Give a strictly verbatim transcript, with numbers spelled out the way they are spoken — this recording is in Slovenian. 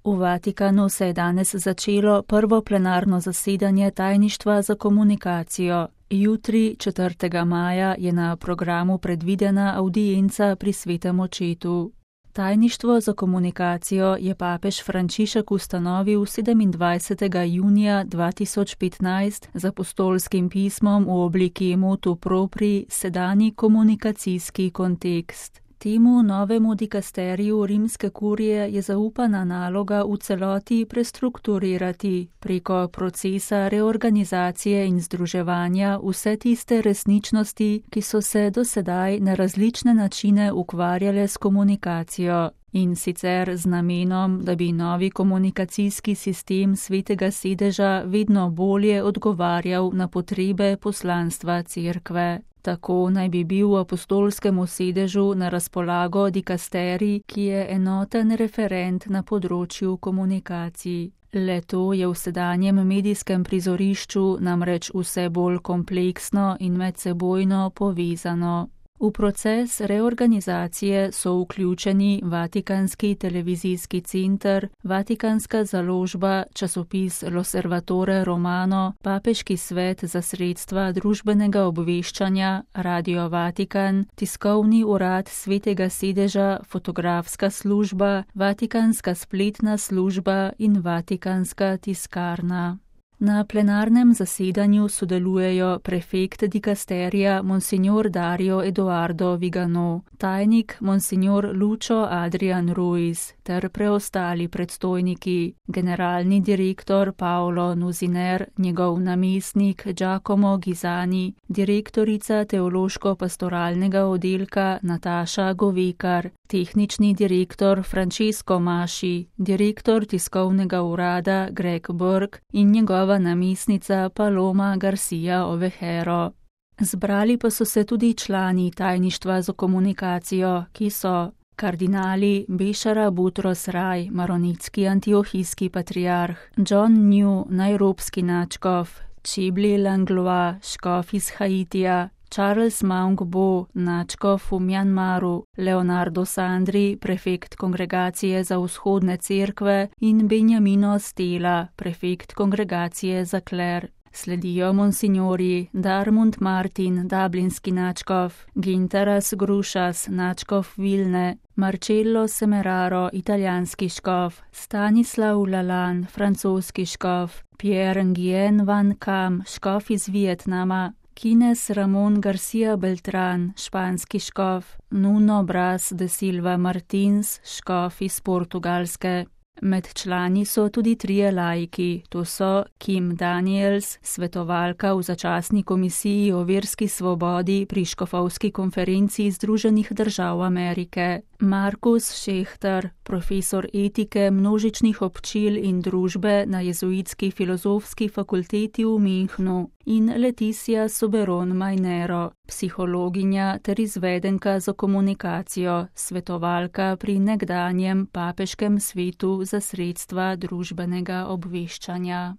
V Vatikanu se je danes začelo prvo plenarno zasedanje Tajništva za komunikacijo. Jutri, četrtega maja, je na programu predvidena avdienca pri svetem očetu. Tajništvo za komunikacijo je papež Frančišek ustanovil sedemindvajsetega junija dva tisoč petnajst z apostolskim pismom v obliki motu propri sedanji komunikacijski kontekst. Temu novemu dikasteriju rimske kurije je zaupana naloga v celoti prestrukturirati preko procesa reorganizacije in združevanja vse tiste resničnosti, ki so se do sedaj na različne načine ukvarjale s komunikacijo, in sicer z namenom, da bi novi komunikacijski sistem Svetega sedeža vedno bolje odgovarjal na potrebe poslanstva Cerkve. Tako naj bi bil v apostolskemu sedežu na razpolago dikasterij, ki je enoten referent na področju komunikacij. Le-to je v sedanjem medijskem prizorišču namreč vse bolj kompleksno in medsebojno povezano. V proces reorganizacije so vključeni Vatikanski televizijski center, Vatikanska založba, časopis L'Osservatore Romano, Papeški svet za sredstva družbenega obveščanja, Radio Vatikan, Tiskovni urad Svetega sedeža, Fotografska služba, Vatikanska spletna služba in Vatikanska tiskarna. Na plenarnem zasedanju sodelujejo prefekt dikasterija Monsignor Dario Eduardo Vigano, tajnik Monsignor Lucio Adrian Ruiz ter preostali predstojniki, generalni direktor Paolo Nuziner, njegov namestnik Giacomo Ghisani, direktorica teološko-pastoralnega oddelka Nataša Govekar, tehnični direktor Francesco Masci, direktor tiskovnega urada Greg Burke in njegova namestnica Paloma Garcia Ovejero. Zbrali pa so se tudi člani Tajništva za komunikacijo, ki so kardinali Bešara Butros Raj, maronitski antiohijski patriarh, John New, najrobski nadškof, Chibli Langlois, škof iz Haitija, Charles Maung-Bo, nadškof v Mjanmaru, Leonardo Sandri, prefekt Kongregacije za vzhodne cerkve in Benjamino Stela, prefekt Kongregacije za kler. Sledijo monsignori Darmund Martin, dublinski nadškof, Gintaras Grušas, nadškof Vilne, Marcello Semeraro, italijanski škof, Stanislav Lalan, francoski škof, Pierre Nguyen Van Kam, škof iz Vietnama, Kines Ramon Garcia Beltran, španski škof, Nuno Bras de Silva Martins, škof iz Portugalske. Med člani so tudi trije laiki, to so Kim Daniels, svetovalka v začasni komisiji o verski svobodi pri Škofovski konferenciji Združenih držav Amerike, Markus Šehter, profesor etike množičnih občil in družbe na Jezuitski filozofski fakulteti v Münchnu, in Leticia Soberon Mainero, psihologinja ter izvedenka za komunikacijo, svetovalka pri nekdanjem papeškem svetu za sredstva družbenega obveščanja.